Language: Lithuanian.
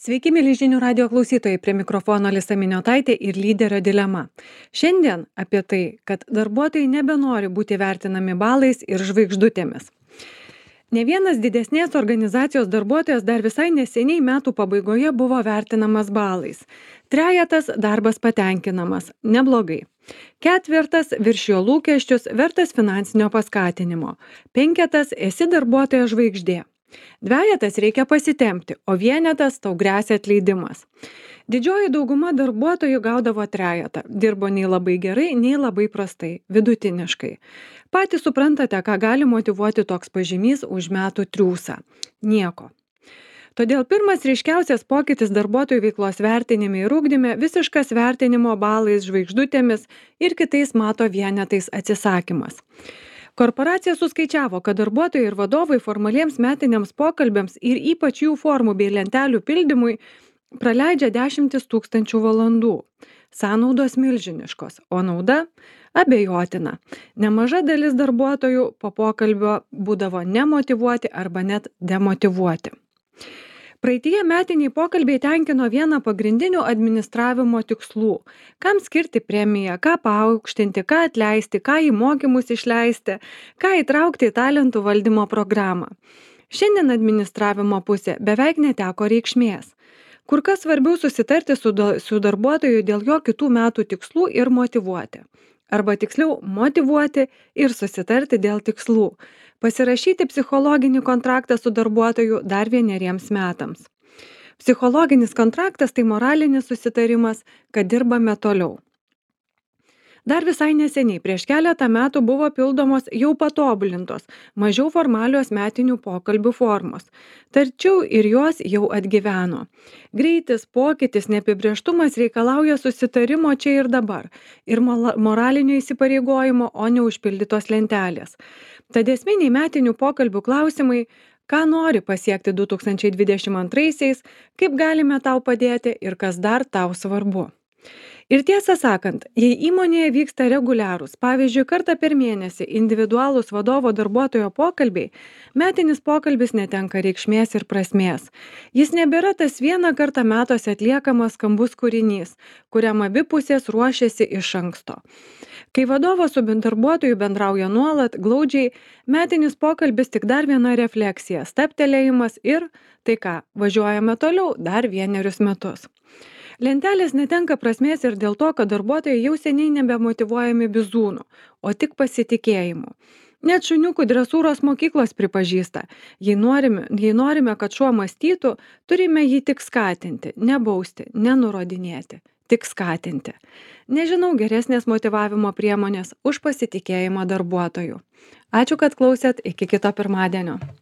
Sveiki, mėly žinių radio klausytojai, prie mikrofono Alisa Miniotaitė ir lyderio dilema. Šiandien apie tai, kad darbuotojai nebenori būti vertinami balais ir žvaigždutėmis. Ne vienas didesnės organizacijos darbuotojas dar visai neseniai metų pabaigoje buvo vertinamas balais. Trejetas darbas patenkinamas, neblogai. Ketvirtas viršijo lūkesčius, vertas finansinio paskatinimo. Penketas esi darbuotojo žvaigždė. Dvejetas reikia pasitempti, o vienetas tau gresia atleidimas. Didžioji dauguma darbuotojų gaudavo trejetą. Dirbo nei labai gerai, nei labai prastai, vidutiniškai. Patys suprantate, ką gali motyvuoti toks pažymys už metų triūsą. Nieko. Todėl pirmas ryškiausias pokytis darbuotojų veiklos vertinime ir ugdyme - visiškas vertinimo balais, žvaigždutėmis ir kitais mato vienetais atsisakymas. Korporacija suskaičiavo, kad darbuotojai ir vadovai formaliems metiniams pokalbiams ir ypač jų formų bei lentelių pildymui praleidžia 10 tūkstančių valandų. Sąnaudos milžiniškos, o nauda abejotina. Nemaža dalis darbuotojų po pokalbio būdavo nemotyvuoti arba net demotyvuoti. Praeityje metiniai pokalbiai tenkino vieną pagrindinių administravimo tikslų. Kam skirti premiją, ką paaukštinti, ką atleisti, ką į mokymus išleisti, ką įtraukti į talentų valdymo programą. Šiandien administravimo pusė beveik neteko reikšmės. Kur kas svarbiau susitarti su darbuotoju dėl jo kitų metų tikslų ir motyvuoti. Arba tiksliau motyvuoti ir susitarti dėl tikslų. Pasirašyti psichologinį kontraktą su darbuotoju dar 1 metams. Psichologinis kontraktas tai moralinis susitarimas, kad dirbame toliau. Dar visai neseniai, prieš keletą metų buvo pildomos jau patobulintos, mažiau formalios metinių pokalbių formos. Tačiau ir jos jau atgyveno. Greitis, pokytis, neapibrėžtumas reikalauja susitarimo čia ir dabar ir moralinio įsipareigojimo, o ne užpildytos lentelės. Tad esminiai metinių pokalbių klausimai: ką nori pasiekti 2022-aisiais, kaip galime tau padėti ir kas dar tau svarbu. Ir tiesą sakant, jei įmonėje vyksta reguliarūs, pavyzdžiui, kartą per mėnesį individualūs vadovo darbuotojo pokalbiai, metinis pokalbis netenka reikšmės ir prasmės. Jis nebėra tas vieną kartą metuose atliekamas skambus kūrinys, kuriam abi pusės ruošiasi iš anksto. Kai vadovas su darbuotoju bendrauja nuolat, glaudžiai, metinis pokalbis tik dar viena refleksija, stabtelėjimas ir, tai ką, važiuojame toliau dar 1 metus. Lentelės netenka prasmės ir dėl to, kad darbuotojai jau seniai nebemotyvuojami bizūnų, o tik pasitikėjimu. Net šuniukų dresūros mokyklos pripažįsta, jei norime, kad šuo mąstytų, turime jį tik skatinti, nebausti, nenurodinėti, tik skatinti. Nežinau geresnės motyvavimo priemonės už pasitikėjimą darbuotojų. Ačiū, kad klausėt, iki kito pirmadienio.